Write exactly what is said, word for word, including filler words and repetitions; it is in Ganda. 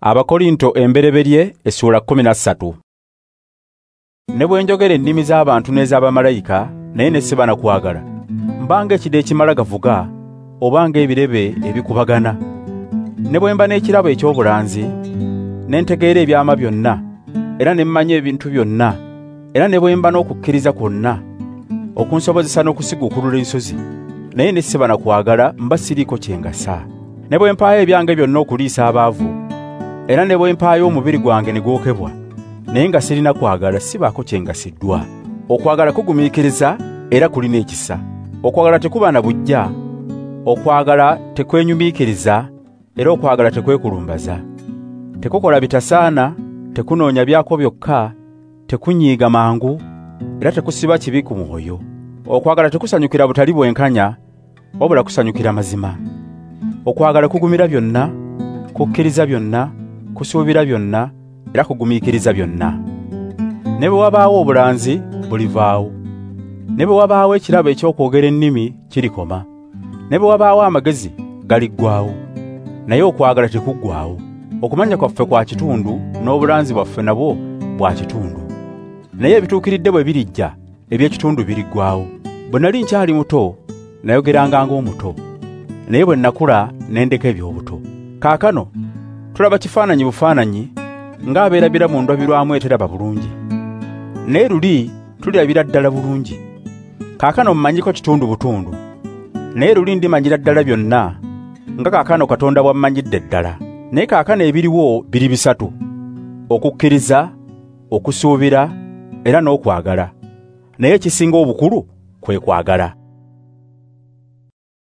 Abakorinto embereberye essuula kkumi na ssatu. Ne bwe njogera ennimi z'abantu n'ez'abamalayika naye ne siba na kwagala, mbanga ekide ekimala gavuga obanga ebirebe ebikubagana. Ne bwe mba n'ekirabo eky'obulanzi, ne ntegeera ebyama byonna, era ne mmanya ebintu byonna, era ne bwe mba n'okukkiriza kwonna okunsobozesa n'okusiguukulula ensozi, naye ne siba na kwagala, mba siriiko kye ngasa. Ne bwe mpaayo ebyange byonna okuliisa abaavu, era ne bwe mpaayo omubiri gwange ne gwokebwa, naye nga sirina kwagala, sibaako kye ngasiddwa. Okwagala kugumiikiriza era kulina ekisa. Okwagala tekuba na buggya, okwagala tekwenyumiikiriza, era okwagala tekwekulumbaza. Tekukola bitasaana, tekunoonya byako byokka, tekunyiiga mangu, era tekusiba kibi ku mwoyo. Okwagala tekusanyukira butali bwenkanya, wabula kusanyukira mazima. Okwagala kugumira byonna, kukkiriza byonna, kusuubira byonna, era kugumiikiriza byonna. Ne bwe wabaawo obulanzi, bulivaawo. Ne bwe wabaawo ekirabo eky'okwogera ennimi, kirikoma. Ne bwe wabaawo amagezi, galiggwaawo. Naye okwagala tekuggwaawo. Okumanya kwaffe kwa kitundu, n'obulanzi bwaffe nabwo bwa kitundu. Naye ebituukiridde bwe birijja, eby'ekitundu biriggwaawo. Bwe nali nkyali muto, nayogeranga ng'omuto, naye bwe nakula ne ndeka eby'obuto. Kaakano tulaba kifaananyi bufaananyi, ng'abeerabira mu ndabirwamu eteraba bulungi. Naye luli tulirabira ddala bulungi. Kaakano mmanyiko kitundu butundu, naye luli ndimanyira ddala byonna, nga kaakano Katonda bw'ammanyidde ddala. Naye kaakano ebiriwo biri bisatu: okukkiriza, okusuubira, era n'okwagala. Naye ekisinga obukulu kwe kwagala.